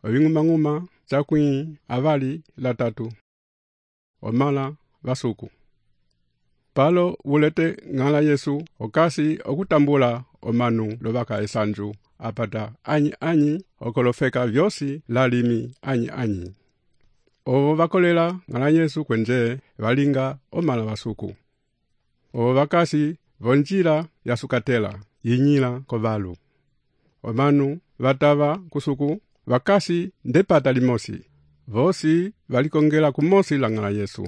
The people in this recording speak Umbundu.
oving'umang'uma cakwĩ avali latatu, omala vasuku. Palo vulete ng'ala Yesu okasi okutambula omanu lovaka esanju apata anyi okolofeka vyosi lalimi anyi. Ovo vakolela ng'ala Yesu kwenje valinga omala vasuku. Ovo vakasi vonjila yasukatela yinyila kovalu. Omanu vatava kusuku vakasi ndepata limosi. Vosi valikongela kumosi la ng'ala Yesu.